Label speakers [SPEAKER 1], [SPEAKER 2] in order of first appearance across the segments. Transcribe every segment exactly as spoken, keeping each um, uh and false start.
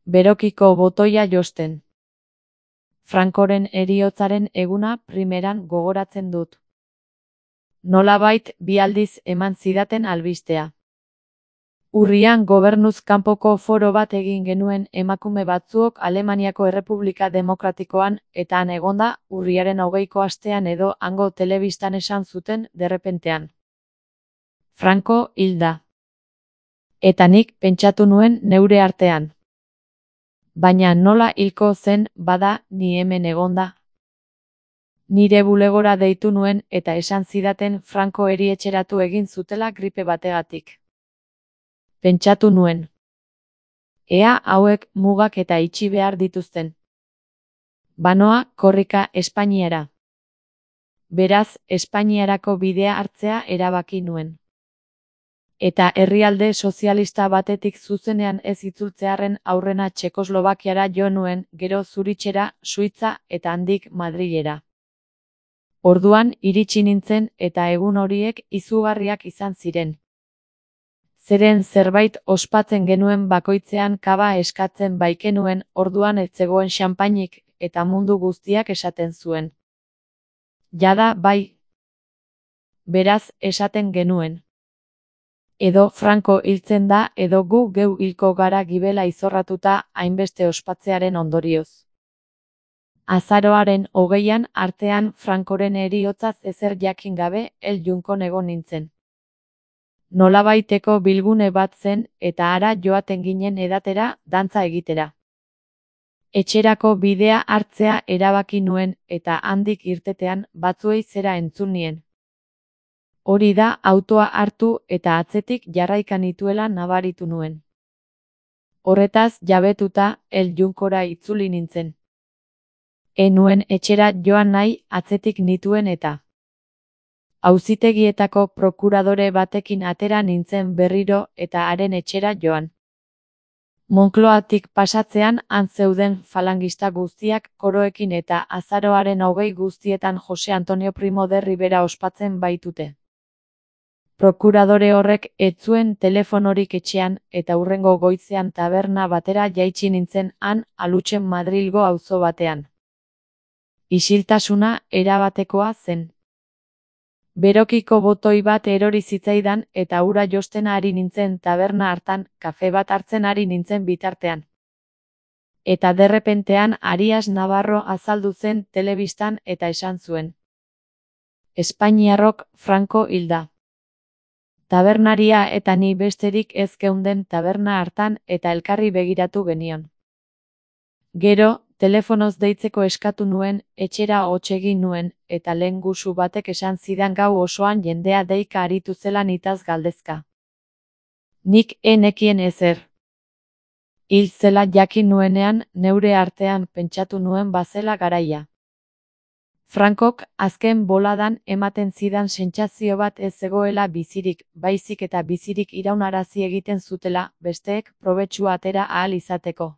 [SPEAKER 1] Berokiko botoia josten. Francoren heriotzaren eguna primeran gogoratzen dut. Nolabait bi aldiz eman zidaten albistea. Urrian gobernuz kanpoko foro bat egin genuen emakume batzuok Alemaniako Errepublika Demokratikoan eta han egonda urriaren hogeiko astean edo hango telebistan esan zuten derrepentean. Franco hilda. Eta nik pentsatu nuen neure artean. Baina nola hilko zen bada ni hemen egonda. Nire bulegora deitu nuen eta esan zidaten Franco erietxeratu egin zutela gripe bategatik. Pentsatu nuen. Ea hauek mugak eta itxi behar dituzten. Banoa korrika Espainiara. Beraz, Espainiarako bidea hartzea erabaki nuen. Eta herrialde sozialista batetik zuzenean ez itzultzearren aurrena Txekoslovakiara jo nuen, gero Zuritxera, Suitza eta handik Madrilera. Orduan iritsi nintzen eta egun horiek izugarriak izan ziren. Zeren zerbait ospatzen genuen bakoitzean kaba eskatzen baikenuen, orduan ez zegoen xanpainik eta mundu guztiak esaten zuen. Jada bai. Beraz esaten genuen. Edo Franco hiltzen da edo gu geu hilko gara gibela izorratuta hainbeste ospatzearen ondorioz. Azaroaren hogeian artean Francoren heriotzaz ezer jakin gabe El Junkon egon nintzen. Nolabaiteko bilgune bat zen eta hara joaten ginen edatera dantza egitera. Etxerako bidea hartzea erabaki nuen eta handik irtetean batzuei zera entzun nien. Hori da autoa hartu eta atzetik jarraikan nituela nabaritu nuen. Horretaz jabetuta El Junkora itzuli nintzen. Ez nuen etxera joan nahi atzetik nituen eta. Auzitegietako prokuradore batekin atera nintzen berriro eta haren etxera joan. Moncloatik pasatzean han zeuden falangista guztiak koroekin eta azaroaren hogei guztietan Jose Antonio Primo de Rivera ospatzen baitute. Prokuradore horrek ez zuen telefonorik etxean eta hurrengo goizean taberna batera jaitsi nintzen han Alutxen Madrilgo auzo batean. Isiltasuna erabatekoa zen. Berokiko botoi bat erori zitzaidan eta ura josten ari nintzen taberna hartan, kafe bat hartzen ari nintzen bitartean. Eta derrepentean Arias Navarro azaldu zen telebistan eta esan zuen. Espainiarrok Franco hilda. Tabernaria eta ni besterik ez geunden taberna hartan eta elkarri begiratu genion. Gero, telefonoz deitzeko eskatu nuen, etxera hots egin nuen, eta lehen gusu batek esan zidan gau osoan jendea deika aritu zela nitaz galdezka. Nik enekien ezer. Hil zela jakin nuenean, neure artean pentsatu nuen bazela garaia. Frankok azken boladan ematen zidan sentsazio bat ez zegoela bizirik, baizik eta bizirik iraunarazi egiten zutela, besteek probetxua atera ahal izateko.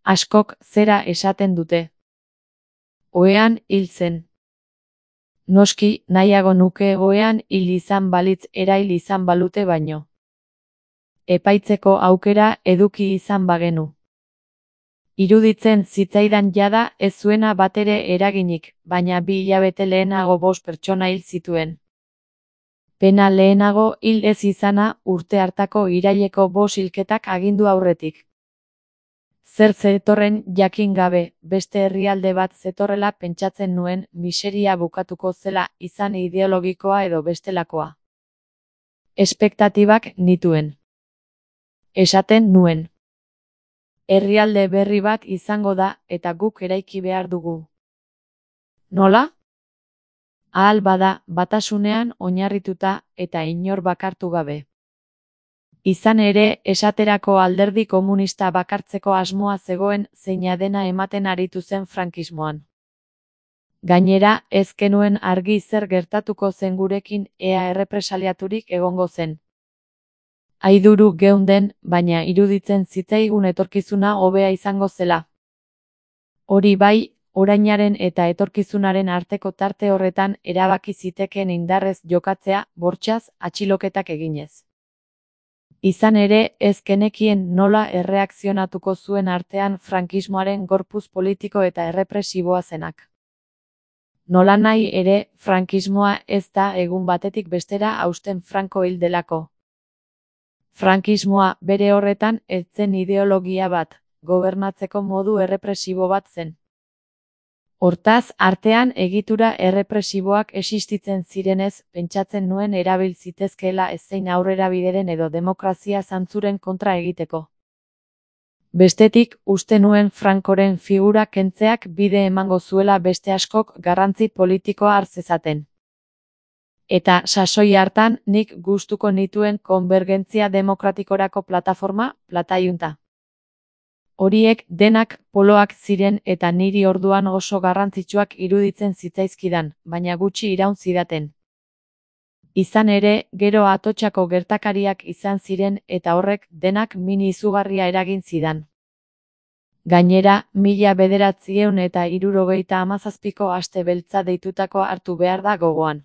[SPEAKER 1] Askok zera esaten dute. Ohean hil zen. Noski, nahiago nuke ohean hil izan balitz erail izan balute baino. Epaitzeko aukera eduki izan bagenu. Iruditzen zitzaidan jada ez zuena batere eraginik, baina bi hilabete lehenago bost pertsona hil zituen. Pena lehenago hil ez izana urte hartako iraileko bost hilketak agindu aurretik. Zer zetorren jakin gabe, beste herrialde bat zetorrela pentsatzen nuen miseria bukatuko zela izan ideologikoa edo bestelakoa. Espektatibak nituen. Esaten nuen. Herrialde berri bat izango da eta guk eraiki behar dugu. Nola? Ahal bada batasunean oinarrituta eta inor bakartu gabe. Izan ere, esaterako alderdi komunista bakartzeko asmoa zegoen zeina dena ematen aritu zen frankismoan. Gainera, ez genuen argi zer gertatuko zen gurekin ea errepresaliaturik egongo zen. Aiduru geunden, baina iruditzen zitzaigun etorkizuna hobea izango zela. Hori bai, orainaren eta etorkizunaren arteko tarte horretan erabaki zitekeen indarrez jokatzea, bortxaz, atxiloketak eginez. Izan ere, ez genekien nola erreakzionatuko zuen artean frankismoaren gorpuz politiko eta errepresiboa zenak. Nolanahi ere, frankismoa ez da egun batetik bestera hausten Franco hil delako. Frankismoa bere horretan ez zen ideologia bat, gobernatzeko modu errepresibo bat zen. Hortaz, artean egitura errepresiboak existitzen zirenez, pentsatzen nuen erabil zitezkeela ezein aurrerabideren edo demokrazia zantzuren kontra egiteko. Bestetik, uste nuen Francoren figura kentzeak bide emango zuela beste askok garrantzi politikoa har zezaten. Eta sasoi hartan nik gustuko nituen konbergentzia demokratikorako plataforma, Plataiunta. Horiek denak poloak ziren eta niri orduan oso garrantzitsuak iruditzen zitzaizkidan, baina gutxi iraun zidaten. Izan ere, gero Atotxako gertakariak izan ziren eta horrek denak min izugarria eragin zidan. Gainera, mila bederatziehun eta hirurogeita hamazazpiko aste beltza deitutako hartu behar da gogoan.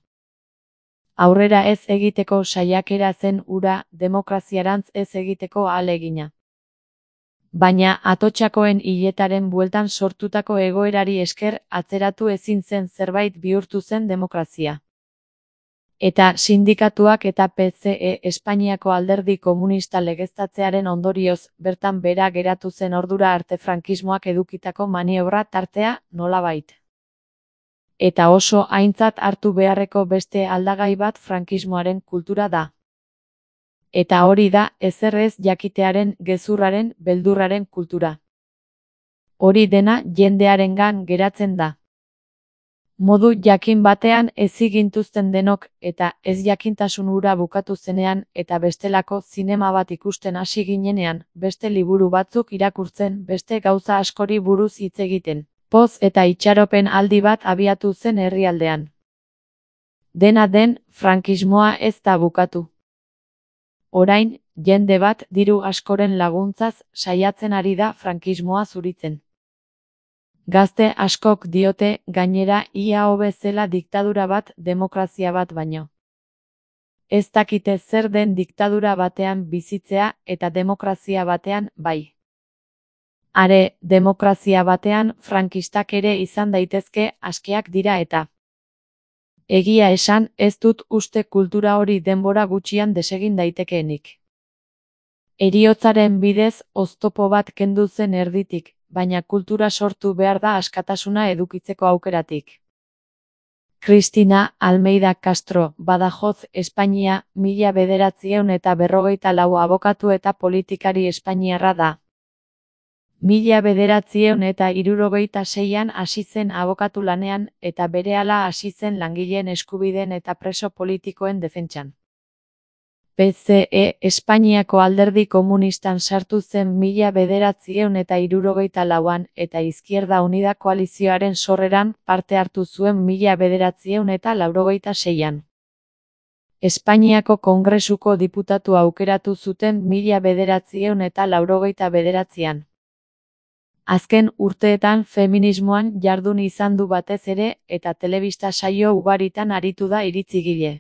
[SPEAKER 1] Aurrera ez egiteko saiakera zen hura, demokraziarantz ez egiteko ahalegina. Baina Atotxakoen hiletaren bueltan sortutako egoerari esker atzeratu ezin zen zerbait bihurtu zen demokrazia. Eta sindikatuak eta P C E Espainiako alderdi komunista legeztatzearen ondorioz bertan bera geratu zen ordura arte frankismoak edukitako maniobra tartea nolabait. Eta oso aintzat hartu beharreko beste aldagai bat frankismoaren kultura da. Eta hori da, ezer ez jakitearen, gezurraren, beldurraren kultura. Hori dena jendearengan geratzen da. Modu jakin batean ezigintuzten denok, eta ez jakintasun hura bukatu zenean, eta bestelako zinema bat ikusten hasi ginenean, beste liburu batzuk irakurtzen, beste gauza askori buruz hitz egiten. Poz eta itxaropen aldi bat abiatu zen herrialdean. Dena den, frankismoa ez da bukatu. Orain, jende bat diru askoren laguntzaz saiatzen ari da frankismoa zuritzen. Gazte askok diote, gainera ia hobe zela diktadura bat demokrazia bat baino. Ez dakite zer den diktadura batean bizitzea eta demokrazia batean bai. Are, demokrazia batean frankistak ere izan daitezke askeak dira eta. Egia esan, ez dut uste kultura hori denbora gutxian desegin daitekeenik. Heriotzaren bidez oztopo bat kendu zen erditik, baina kultura sortu behar da askatasuna edukitzeko aukeratik. Cristina Almeida Castro, Badajoz, Espainia, mila bederatziehun eta berrogeita lau abokatu eta politikari espainiarra da. Mila bederatziehun eta hirurogeita seian hasi zen abokatu lanean eta berehala hasi zen langileen eskubideen eta preso politikoen defentsan. P C E Espainiako alderdi komunistan sartu zen mila bederatziehun eta hirurogeita lauan eta Izquierda Unida koalizioaren sorreran parte hartu zuen mila bederatziehun eta laurogeita seian. Espainiako Kongresuko diputatu aukeratu zuten mila bederatziehun eta laurogeita bederatzian. Azken urteetan feminismoan jardun izan du batez ere eta telebista saio ugaritan aritu da iritzigile.